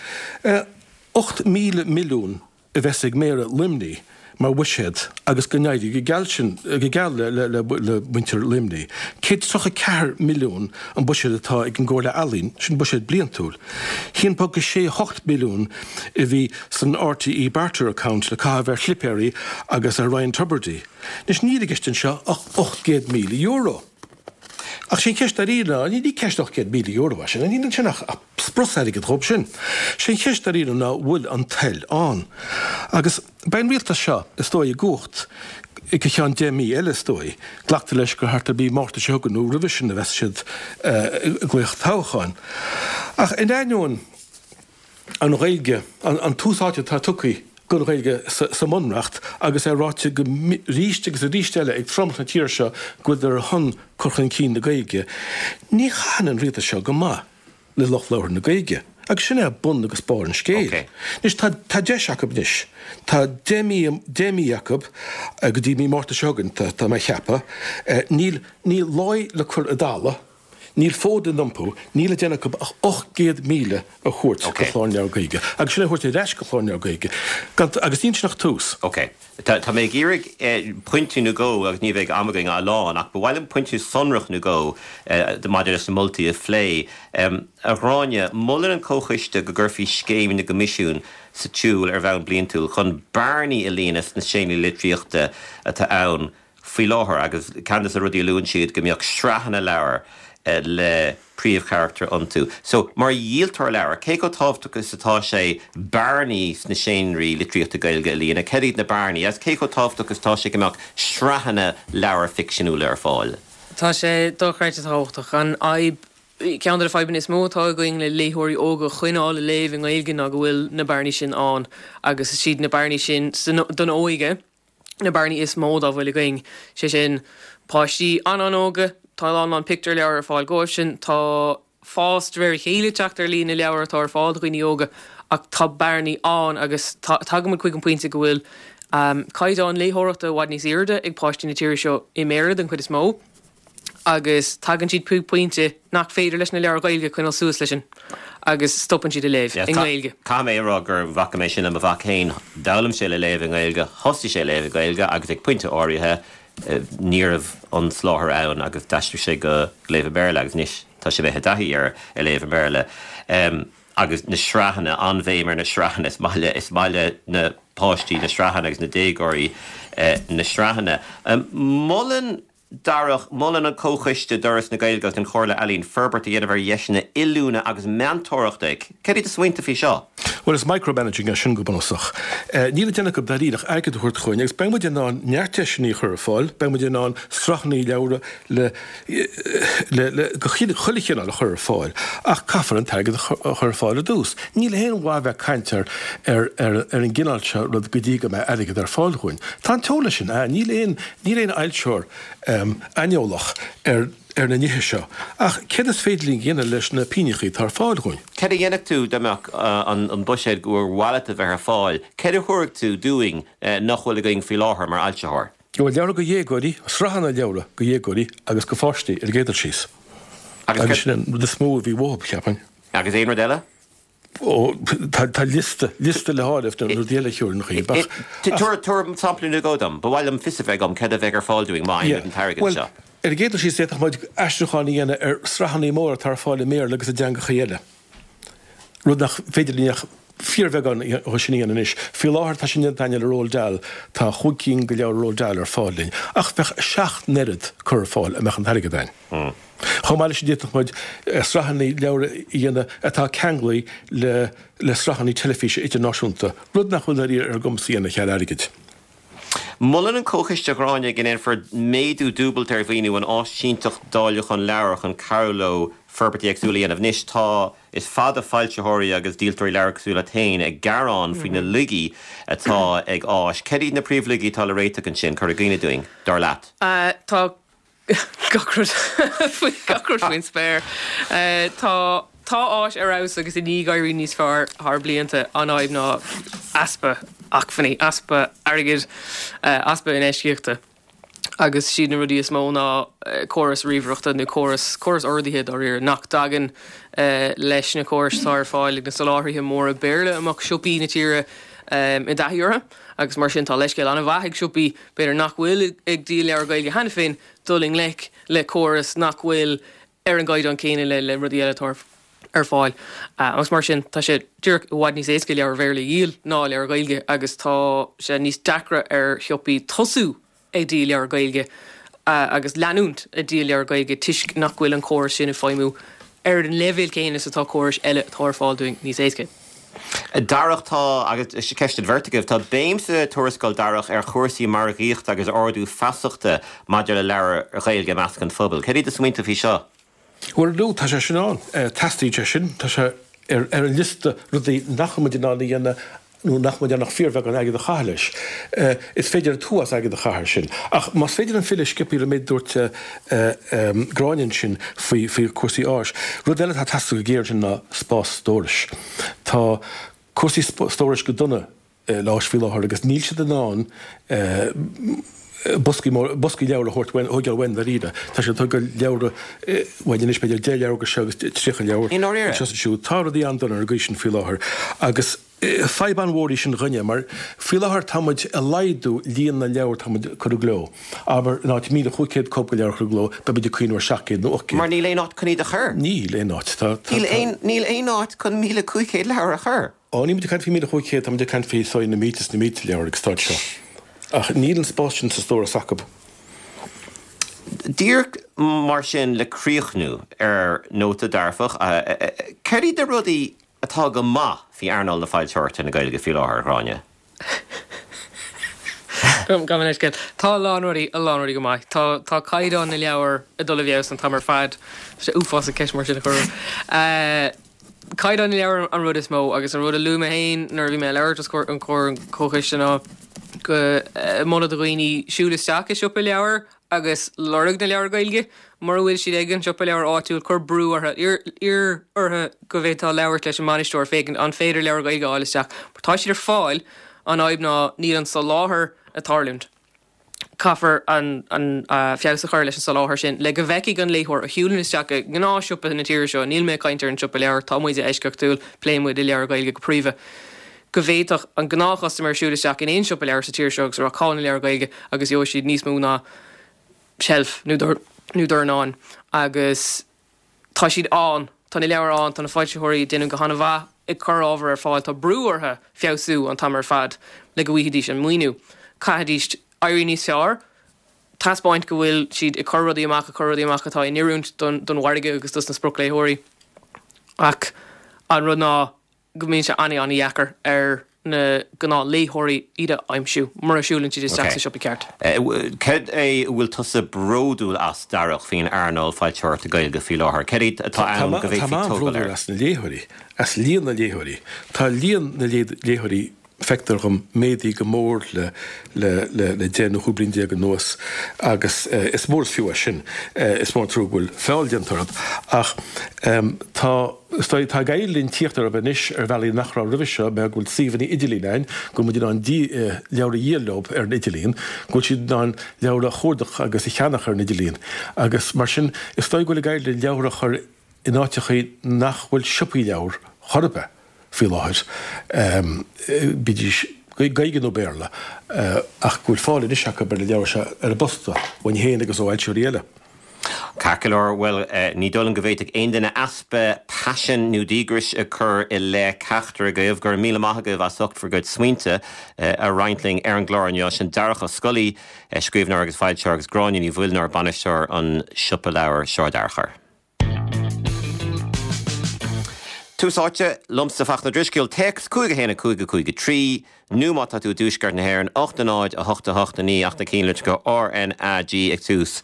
8,000 milliún a bheas ag Méara Luimnigh mar bhuiséad agus go n-éirí go geal sin, go geal le muintir Luimnigh. 134 milliún an buiséad atá ag an gComhairle Ealaíon, sin buiséad bliantúil. 1.68 milliún a bhí san RTÉ Barter Account le caitheamh ar shlipéirí agus ar Ryan Tubridy. Anois níl i gceist anseo ach €800,000. Ach sé an cheist dáiríre ná, ní ceist €800,000 é sin, níl ansin ach sprus airgid dhóibh sin. Sé an cheist dáiríre ná bhfuil an toil ann. Agus beidh an rialtas seo, is dóigh, i gcumhacht go ceann 10 mí eile, is dóigh. Glactar leis gur thart ar mhí Márta seo chugainn nó roimhe sin a bheas siad ag glaoch toghcháin. Ach in ainneoin an Ghaeilge, an tús áite atá tugtha don Ghaeilge sa mBunreacht agus é ráite arís agus arís eile ag tromlach na tíre seo go bhfuileadar ar shon cur chun cinn na Gaeilge, ní chaitheann an rialtas seo go maith le lucht labhartha na Gaeilge. Agus sin é bun agus barr an scéil. Anois tá tá deis acu anois. Tá 10 mí 10 mí acu go dtí mí Márta seo chugainn, tá mé a cheapadh. Níl níl láí le cur i dtalamh. Níl fód le n-iompú, níl le déanamh acu ach 800,000 a thabhairt do Chlár na Leabhar Gaeilge, agus sin a thabhairt ar ais go Clár na Leabhar Gaeilge, gan, agus níl sin ach tús. Ok. Tá, tá mé ag iarraidh pointe nó dhó, agus ní bheidh am againn a lán, ach ba mhaith liom pointe sonrach nó dhó maidir leis na moltaí a phlé. A Ghráinne, molann an Comhchoiste go gcuirfí scéim na gcoimisiún sa tsiúl ar bhonn bliantúil chun bearnaí a líonadh sna seánraí litríochta atá ann faoi láthair agus ceann de na rudaí a luann siad go mbeadh sraitheanna leabhar le príomhcharachtair iontu. So, mar dhíoltóir leabhar, cé chomh tábhachtach is atá sé bearnaí sna seánraí litríochta Gaeilge a líonadh? Céard iad na bearnaí agus cé chomh tábhachtach is atá sé go mbeadh sraitheanna leabhar ficseanúla ar fáil? Tá sé dochreidte tábhachtach. An fhadhb, ceann de na fadhbanna is mó atá againn le léitheoirí óga a choinneáil ag léamh i nGaeilge ná go bhfuil na bearnaí sin ann agus is iad na bearnaí sin don óige, na bearnaí is mó dá bhfuil againn, sé sin, páistí an-an-óga, tá a lán lán pictiúrleabhar ar fáil dóibhsean, tá fás de réir a chéile ag teacht ar líon na leabhar atá ar fáil do dhaoine óga ach tá bearnaí ann agus tagaimid chuig an pointe go bhfuil caighdeán léitheoireachta i bhfad níos airde ag páistí na tíre seo i mBéarla den chuid is mó. agus tagann siad chuig pointe nach féidir leis na leabhair Ghaeilge coinneáil suas leis sin agus stopann siad ag léamh i nGaeilge. Caithfidh mé a rá gur bhfaca mé sin le mo mhac féin. D'fhoghlaim sé le léamh i nGaeilge, thosaigh sé ag léamh i Gaeilge agus ag pointe áirithe ní raibh an soláthar ann agus d'aistrigh sé go léamh i mBéarla agus anois tá sé imithe i dtaithí ar léamh i mBéarla. Agus na sraitheanna, an-bhéim ar na sraitheanna, is maith le, is maith le na páistí na sraitheanna agus na déagóirí na sraitheanna. Molann Darach, Molann an Comhchoiste d'Fhoras na Gaeilge agus don Chomhairle Ealaíon forbairt a dhéanamh ar dheiseanna oiliúna agus meantóireachta. Céard iad do smaointe faoi seo? Bhuel, is micromanaging é sin go bunúsach. Níl le déanamh acu dáiríre ach airgead a thabhairt chugainn agus beidh muid in ann neart deiseanna a chur ar fáil, beidh muid in ann sraitheanna leabhra le, le, le, de chuile chineál a chur ar fáil ach caithfear an t-airgead a chur ar fáil ar dtús. Níl aon mhaith bheith ag caint ar, ar, ar, ar an gcineál seo rud go dtí go mbeidh airgead ar fáil dhúinn. Tá an t-eolas sin ann, níl aon, Níl aon fhoilsitheoir aineolach ar ar na nithe seo, ach céard is féidir linn a dhéanamh leis na pingneachaí atá ar fáil dhúinn? Céard a dhéanfadh tú dá mbeadh an buiséad gur mhaith leat a bheith ar fáil? Céard a thabharfadh tú dúinn nach bhfuil againn faoi láthair mar fhoilsitheoir? Bhuel, leabhra do dhéagóirí, sraitheanna leabhra do dhéagóirí agus do pháistí ar an gcéad dul síos. Agus sin an rud is mó a bhí uathu, cheapfainn. Agus aon rud eile? Ó, tá liosta, liosta le háireamh de rudaí eile a thiúrfainn dhaoibh, ach. Tabhair, tabhair sampla nó dhó dom. Ba mhaith liom fios a bheith agam céard a bheidh ar fáil dúinn má fhaigheann muid an t-airgead seo. Bhuel, ar an gcéad dul síos, d'fhéadfadh muid aistriúcháin a dhéanamh ar sraitheanna móra atá ar fáil i mBéarla agus i dteangacha eile, rud nach féidir linn ach fíorbheagán dhe sin a dhéanamh anois. Faoi láthair tá sin déanta againne le Roald Dahl, tá chúig cinn de leabhair Roald Dahl ar fáil linn, ach bheadh a seacht n-oiread curtha ar fáil dá mbeadh an t-airgead againn. Chomh maith leis sin d'fhéadfadh muid sraitheanna leabhar a dhéanamh atá ceanglaithe le le sraitheanna teilifíse idirnáisiúnta, rud nach bhfuil dáiríre ar ár gcumas a dhéanamh cheal airgid. Molann an Comhchoiste a Ghráinne go ndéanfar méadú dúbailte ar mhaoiniú an Áisínteacht Dáiliúcháin Leabhar chun cabhrú leo forbairtí éagsúla a dhéanamh. Anois tá is fada foilsitheoirí agus díoltóirí leabhar cosúil leat féin ag gearán faoi na laigí atá ag Áis. Céard iad na príomhlaigí atá le réiteach ansin, cuir i gcuimhne dúinn, dar leat? Tá gach rud faoi gach rud faoin spéir. Tá tá Áis ar fheabhas agus i ndiaidh éirí níos fearr thar blianta. An fhadhb ná easpa acmhainní, easpa airgid, easpa infheistíochta. Agus siad na rudaí is mó ná córas ríomhaireachta nó córas córas ordaithe dáiríre nach dtagann leis na córais atá ar fáil ag na soláthraithe móra Béarla a mbeadh siopaí na tíre i dtaithí orthu. Agus mar sin tá leithscéal an-mhaith ag siopaí b'fhéidir nach bhfuil ag díol leabhar Gaeilge cheana féin, dul i ngleic le córas nach bhfuil ar an gcaighdeán céanna le rudaí eile atá ar fáil. Agus mar sin, tá sé díreach i bhfad níos éasca leabhair Bhéarla a dhíol ná leabhair Ghaeilge agus tá sé níos deacra ar shiopaí tosú ag díol leabhar Gaeilge. agus leanúint ag díol leabhar Gaeilge toisc nach bhfuil an córas sin ag feidhmiú ar an leibhéal céanna is atá córais eile atá ar fáil dúinn níos éasca. Darach, tá, agus ceist don bheirt agaibh, tá béim sa tuarascáil, Darach, ar chúrsaí margaíochta agus ardú feasachta maidir le leabhair Ghaeilge i measc an phobail. Céard iad do smaointe faoi seo? Bhuel, no, tá sé sin ann. Teastaíonn sé sin. Tá sé ar an liosta rudaí nach bhfuil muid in ann a dhéanamh nó nach bhfuil muid in ann ach fíorbheagán airgead a chaitheamh leis. Is féidir an t-uafás airgead a chaitheamh air sin. Ach más féidir liom filleadh sciobtha ar an méid a dúirt Gráinne ansin faoi chúrsaí áis, rud eile atá ag teastáil go géar ansin ná spás stórais. Tá cúrsaí stórais go dona le áis faoi láthair agus níl siad in ann boscaí móra, boscaí leabhar a thabhairt uainn, a thógáil uainn dáiríre. Tá siad ag tógáil leabhra uainn anois, b'fhéidir 10 leabhar go seo agus 30 leabhar I ndáiríre? anseo is ansiúd. Tá rudaí an-dona ar an gcaoi sin faoi láthair agus fadhb an-mhór í sin dhúinne mar faoi láthair tá muid ag laghdú líon na leabhar atá muid ag cur i gcló. Abair, in áit 1,500 cóip de leabhar a chur i gcló, beidh muid ag cuimhneamh ar 700 nó 800. Mar níl aon áit chun iad a chur. Níl aon áit. Tá, tá, Níl aon, níl aon áit chun 1,500 leabhar a chur. Ó, níl muid ag caint faoi 1,500, tá muid ag caint faoi so na mílte is na mílte leabhar ag an staid seo. Ach níl an spás sin sa stóras acu. Díreach mar sin le críochnú ar nóta dearfach, céard iad na rudaí atá go maith faoi earnáil na foilsitheoireachta na Gaeilge faoi láthair, a Ghráinne? Gabh mo leithscéal. Tá a lán rudaí, a lán rudaí go maith. Tá, tá caighdeán na leabhar ag dul i bhfeabhas an t-am ar fad. Tá sé uafásach ceist mar sin a chur orm. Caighdeán na leabhar an rud is mó agus an rud a luaigh mé féin nuair a bhí mé ag labhairt os comhair an chomhchoiste ná go moladh do dhaoine siúl isteach i siopa leabhar agus lorg na leabhar Gaeilge. Mura bhfuil siad ag an siopa leabhar áitiúil, cuir brú orthu, iarr orthu go bhféadfá labhairt leis an mbainisteoir féachaint an féidir leabhar Gaeilge a fháil isteach. Mar tá siad ar fáil, an fhadhb ná níl an soláthar ag tarlúint. Caithfear an feabhas a chur leis an soláthar sin le go bhfeicfidh an léitheoir a shiúlann isteach i ngnáthshiopa na tíre seo, níl mé ag caint ar an siopa leabhar, tá muide eisceachtúil, pléann muid le leabhair Ghaeilge go príomha, go bhféadfadh an gnáthchustaiméir siúl isteach in aon siopa leabhar sa tír seo agus a rá cá bhfuil na leabhair Ghaeilge agus gheobhaidh siad níos mó ná seilf nó dornán agus Tá siad ann, tá na leabhair ann, tá na foilsitheoirí ag déanamh go han-mhaith ag cur ábhar ar fáil, tá brú orthu feabhsú an t-am ar fad le go bhfaighidís an maoiniú. Caithfidís éirí níos fearr, taispeáint go bhfuil siad ag cur rudaí amach, ag cur rudaí amach atá in oiriúint don mhargadh agus dos na spriocléitheoirí. Ach an rud ná go mbíonn sé an-an-dheacair ar na gnáthléitheoirí iad a aimsiú mura siúlann siad isteach sa siopa ceart. Céard é a bhfuil tusa bródúil as, Darach, faoin earnáil foilsitheoireachta Gaeilge faoi láthair? Céard é atá ann go bhféadfaí tógáil air? Tá mé an-bhródúil as na léitheoirí, as líon na léitheoirí. Tá líon na léitheoirí feictear dhom, méadaithe go mór le le 10 nó 15 bliain anuas agus is mór is fiú é sin. Is mór an trua go bhfuil feall déanta orthu ach tá, is dóigh, tá ag éirí linn tíocht orthu anois ar bhealaí nach raibh roimhe seo mar go bhfuil suíomhanna idirlín ann, go bhfuil muid in ann leabhair a dhíol leo ar an idirlíon, go bhfuil siad in ann leabhair a chuardach agus a cheannach ar an idirlíon agus mar sin is dóigh go bhfuil ag éirí linn leabhair a chur in áiteachaí nach bhfuil siopaí leabhar chor ar bith faoi láthair, bídís Gaeilge nó Béarla, ach go bhfuil fáil anois acu ar na leabhair seo ar an bposta, uainn féin agus ó fhoilsitheoirí eile. Ceart go leor, bhuel, ní dóigh liom go bhféadfadh aon duine easpa paisin nó díograis a chur i leith ceachtar agaibh. Go raibh míle maith agaibh as ucht bhur gcuid smaointe a roinnt linn ar an gclár inniu. Sin Darach Ó Scolaí, scríbhneoir agus foilsitheoir, agus Gráinne Ní Mhuilneoir, bainisteoir an siopa leabhar Sráid Fhearchair. Tús áite, liomsa Fachtna Drisceoil, téacs 5 1 5 5 3, nó má tá tú i dtuaisceart na hÉireann, 8 0 8 8 9 ach na cinnlitreacha RnaG ag tús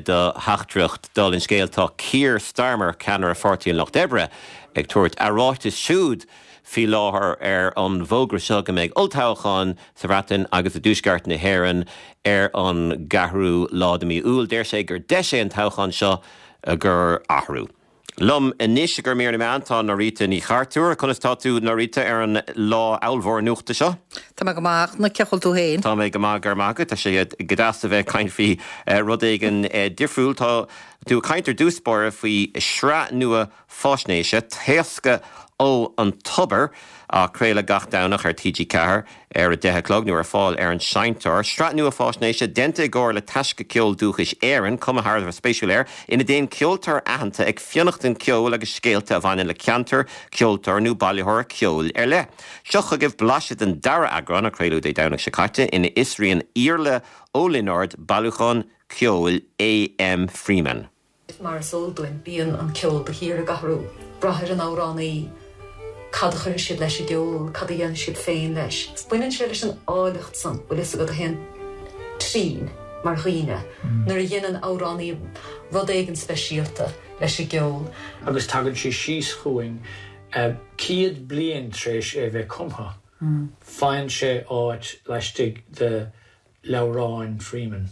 do theachtaireacht. Dála an scéil, tá Keir Starmer, ceannaire Pháirtí an Lucht Oibre, ag tabhairt a ráitis siúd faoi láthair ar an bhfógra seo go mbeidh olltoghchán sa Bhreatain agus i dtuaisceart na hÉireann ar an gceathrú lá de mhí Iúil. Deir sé gur deis é an toghchán seo i gcomhair athrú. Liom anois i gcomhair mír na meán tá Norita Ní Chartúir. Conas tá tú Norita ar an lá ábhalmhór nuachta seo? Tá mé go maith, a Fhachtna, cén chaoi a bhfuil tú féin? Tá mé go maith, go raibh maith agat. Tá sé go deas a bheith ag caint faoi rud éigin difriúil. Tá tú ag caint ar dtús báire faoi shraith nua faisnéise, Taoscadh ó an Tobar, á craoladh gach Domhnach ar TG4 ar 10 a chlog nó ar fáil ar an seinnteoir. Sraith nua faisnéise déanta i gcomhar le Taisce Ceol Dúchais Éireann, cuma thar a bheith spéisiúil air, ina dtéann ceoltóir aitheanta ag fionnachtain ceoil agus scéalta a bhaineann le ceantar, ceoltóir nó bailitheoir ceoil ar leith. Seo chugaibh blaiseadh den dara eagrán, a craoladh Dé Domhnaigh seo caite, ina fhiosraíonn Iarla Ó Lionáird bailiúchán. ceoil A.M. Freeman. Mar is eol dúinn, bíonn an ceol de shíor ag athrú. Brath ar an amhránaí, cad a chuirfidh siad leis an gceol, cad a dhéanfaidh siad féin leis. Baineann sé leis an áilleacht san, bhfuil fhios agat, a théann trín mar dhaoine nuair a dhéanann amhránaí rud éigin speisialta leis an gceol. Agus tagann sé síos chugainn 100 bliain tar éis é bheith cumtha. Faigheann sé áit laistigh de leabhráin Freeman.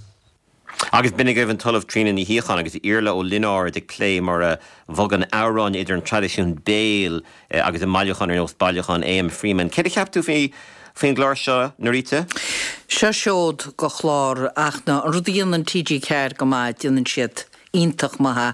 Agus b'in agaibh an tOllamh Tríona Ní Shíocháin agus Iarla Ó Lionáird ag plé mar a bhogann amhráin idir an traidisiún béil agus i mbailiúcháin ar nós bailiúchán A.M. Freeman. Céard a cheap tú faoi faoin gclár seo, Norita? Seo seod de chlár ach ná an rud a dhéanann TG4 go maith, déanann siad iontach maith é.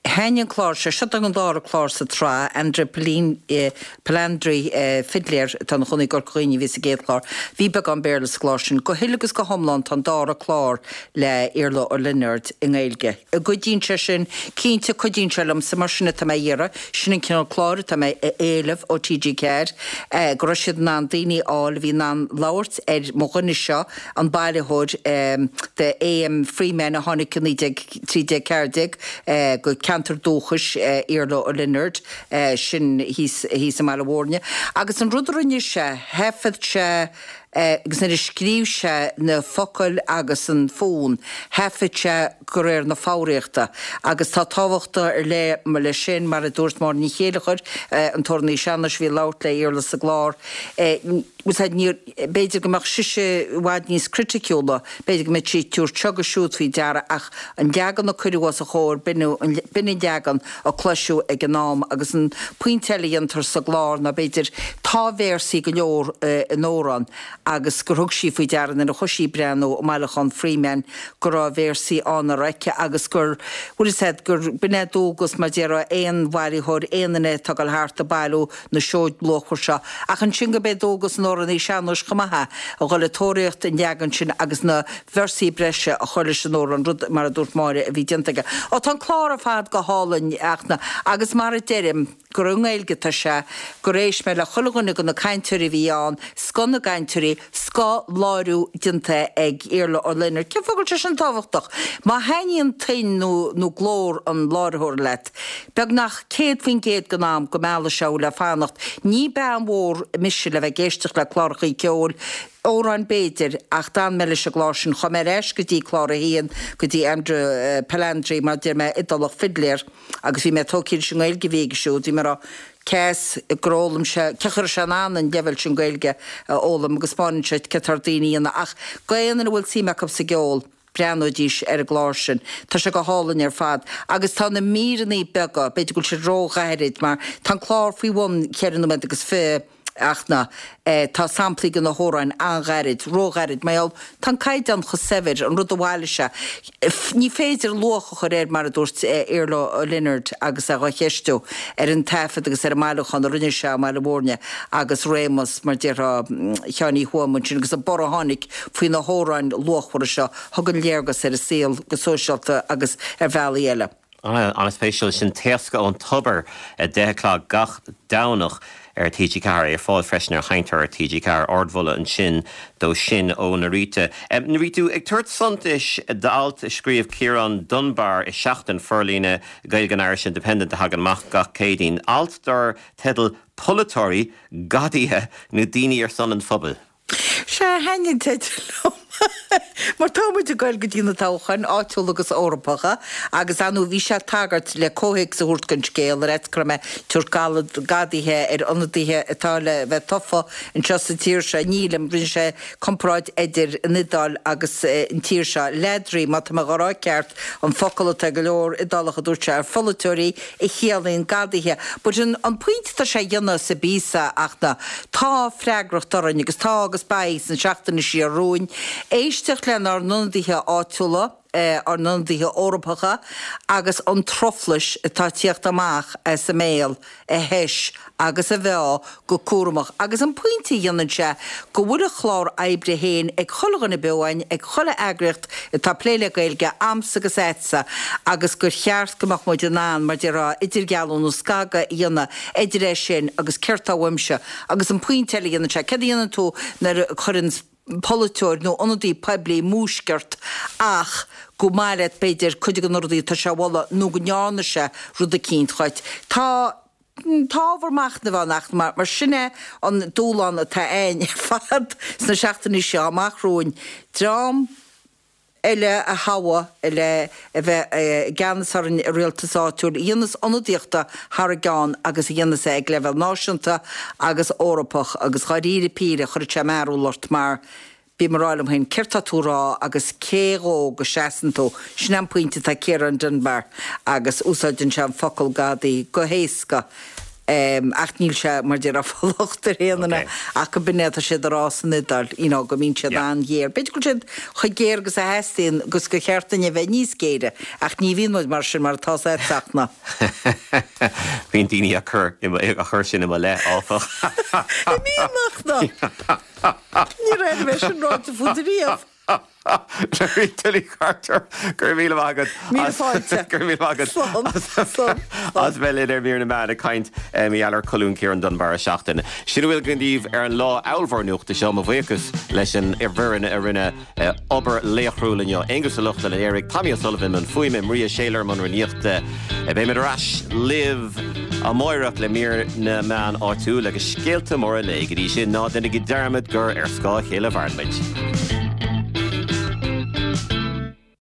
Thaitnigh an clár seo, seo an dara clár sa tsraith, Andrea Palandri, fidléir atá ina chónaí i gCorca Dhuibhne a bhí sa gcéad chlár. Bhí beagán Béarla sa gclár sin. Go huile agus go hiomlán tá an dara clár le Iarla Ó Lionáird i nGaeilge. An gcuidíonn sé sin? Cinnte, cuidíonn sé liomsa, mar sin atá mé a iarraidh. Sin an cineál cláir atá mé a éileamh ó TG4, go raibh siad in ann daoine a fháil a bhí in ann labhairt ar mo dhuine seo, an bailitheoir de A.M. Freeman a tháinig i 1913, 14 go ceantar dúchais Iarla Ó Lionáird, sin thíos i mBaile Mhúirne. Agus an rud a rinne sé, thaifead sé agus nuair a scríobh sé na focail agus an fonn, thaifead sé de réir na foghraíochta. Agus tá tábhacht ar leith leis sin, mar a dúirt Máire Ní Chéileachair, an t-amhránaí sean-nóis a bhí ag labhairt le Iarla sa gclár, B'fhéidir go mbeadh sise i bhfad níos criticiúla, b'fhéidir go mbeadh sí ag tabhairt seo agus siúd faoi deara ach an leagan a cuireadh os a chomhair, b'in an leagan a cloiseadh ag an am. Agus an pointe eile a dhéantar sa gclár ná b'fhéidir, tá véarsaí go leor in amhrán agus gur thug sí faoi deara nuair a chuaigh sí ag breathnú i mbailiúchán Freeman go raibh véarsaí ann nach raibh aici agus gur, bhfuil fhios a'd, gur b'in é dualgas mar déarfá aon bhailitheoir, aon duine atá ag dul thart ag bailiú na seoid luachmhar seo, ach ansin gurb é dualgas an amhránaí sean-nóis chomh maith é a dhul ag tóraíocht an leagan sin agus na véarsaí breise a chur leis an amhrán, rud, mar a dúirt Máire, a bhí déanta aige. Ó, tá an clár ar fad go hálainn, ach na, agus mar a deirim, gur i nGaeilge atá sé, gur éist mé le chuile dhuine de na cainteoirí a bhí ann, scoth na gcainteoirí, scoth láithriú déanta ag Iarla Ó Lionáird. Cén fáth go bhfuil sé sin tábhachtach? Má thaitníonn tuin nó, nó glór an láithreora leat, Beagnach 100% den am go meallfaidh sé thú le fanacht. Ní bean mhór mise le bheith ag éisteacht le clárachaí ceoil, amhráin b'fhéidir, ach d'fhan mé leis an gclár sin. Chuaigh mé ar ais go dtí clár a haon, go dtí Andrea Palandri, mar a deir mé, Iodálach fidléir, agus bhí mé tógtha leis an nGaeilge a bhí aige siúd. Bhí mé ag rá, cé as gur fhoghlaim sé, cén chaoi a raibh sé in ann an leibhéal sin Gaeilge a fhoghlaim agus spáineann sé céard atá ar daoine a dhéanamh. Ach d'aon duine a bhfuil suim acu sa gceol, breathnóidís ar an gclár sin. Tá sé go hálainn ar fad. Agus tá na míreanna beaga, b'fhéidir go bhfuil siad ró-ghairid mar tá an clár faoi bhun cheithre nóiméad agus fiche ach na, eh, tá samplaí de na hamhráin an-ghairid, ró-ghairid, mar gheall, tá an caighdeán chomh saibhir, an rud a bhailigh sé. Ní féidir luach a chur air, mar a dúirt Iarla Ó Lionáird agus é dhá cheistiú, ar an taifead agus ar an mbailiúchán a rinne sé i mBaile Mhúirne agus réimeas, mar déarfá, Sheáin Uí Thuama ansin agus an borradh a tháinig faoi na hamhráin luachmhara seo, a thugann léargas ar an saol go sóisialta agus ar bhealaí eile. An-spéisiúil sin Taoscadh ón Tobar, 10 a chlog gach Domhnach ar TG4, ar fáil freisin ar Sheinnteoir TG4. Ardmholadh ansin dó sin ó Norita. Bhí tú ag tabhairt suntais d'alt a scríobh Ciarán Dunbar i Seachtain, forlíonadh Gaeilge an Irish Independent a thagann amach gach Céadaoin. Alt dar teideal 'Polaiteoirí, Gadaithe nó Daoine ar son an Phobail'. Sea, thaitnigh an teideal liom. Mar tá muid ag goil go dtí na toghcháin, áitiúla agus Eorpacha, agus ar ndóigh bhí sé ag tagairt le comhthéacs a thabhairt don scéal, ar fhaitíos go raibh mé ag tabhairt gadaithe ar ionadaithe atá le bheith tofa anseo sa tír seo. Nílim, rinne sé comparáid idir an Iodáil agus an tír seo. Ladri, má tá mé dhá rá ceart, an focal atá ag go leor Iodálach a dúirt sé ar pholaiteoirí, a chiallaíonn gadaithe. But an an pointe atá sé a dhéanamh sa bpíosa ach ná tá freagracht orainn agus tá agus beidh sna seachtainí siar romhainn éisteacht lenár n-ionadaithe áitiúla, ár n-ionadaithe Eorpacha agus an truflais atá ag tíocht amach as a mbéal a thomhas agus a mheá go cúramach. Agus an pointe a dhéanann sé go bhfuil a chlár oibre féin ag chuile dhuine beo againn, ag chuile eagraíocht atá ag plé le Gaeilge, a'msa agus a'dsa, agus gur cheart go mbeadh muid in ann, mar déarfá, idirdhealú nó scagadh a dhéanamh idir é sin agus céard tá uaimse. Agus an pointe eile a dhéanann sé, céard a dhéanann tú nuair a chuireann. polaiteoir nó ionadaí poiblí múisc ort ach gur maith leat b'fhéidir cuid de na rudaí atá sé a mholadh nó go ndearna sé rud eicínt dhuit. Tá tá ábhar machnaimh ann ach mar mar sin é an dúshlán atá againn ar fad sna seachtainí seo amach romhainn. Dream eile a thoghadh le a bheith i gceannas orainn i rialtas áitiúil, a dhéanas ionadaíocht thar a gceann agus a dhéanas é ag leibhéal náisiúnta agus Eorpach agus dháiríre píre chuirfeadh sé mearbhall ort mar bím ag rá liom féin céard tá tú a rá agus cé dhó go seasann tú? Sin é an pointe atá ag Ciarán Dunbar agus úsáideann sé an focal gadaí go héasca. Ach níl sé, mar déarfá, ag fáil locht ar aon duine ach go b'in é atá siad a rá san Iodáil, you know, go mbíonn siad an-ghéar. B'fhéidir go bhfuil siad chomh géar agus a theastaíonn agus gur cheart duinn a bheith níos géire, ach ní bhíonn muid mar sin mar atá a fhios agat Fachtna. Bíonn daoine á chur sin i mo leith, áfach. An mbíonn, Fachtna? Níor airigh mé sin ráite fút riamh. Rita Lee Carter, go raibh míle maith agat. Míle fáilte. Go raibh míle maith agat. Slán. Slán. As bheith linn ar Mír na Meán ag caint mar gheall ar cholún Ciarán Dunbar an tseachtain. Sin a bhfuil againn daoibh ar an lá ábhalmhór nuachta seo. Mo bhuíochas leis an bhfoireann a rinne obair laochrúil inniu. Aonghus Ó Lochlainn a léirigh, Tommy O'Sullivan i mbun fuaime, Maria Shayler i mbun rúnaíochta. Beimid ar ais libh amáireach le Mír na Meán áitiúil agus scéalta móra an lae. Go dtí sin, ná déanaigí dearmad gur ar scáth a chéile a mhaireann muid.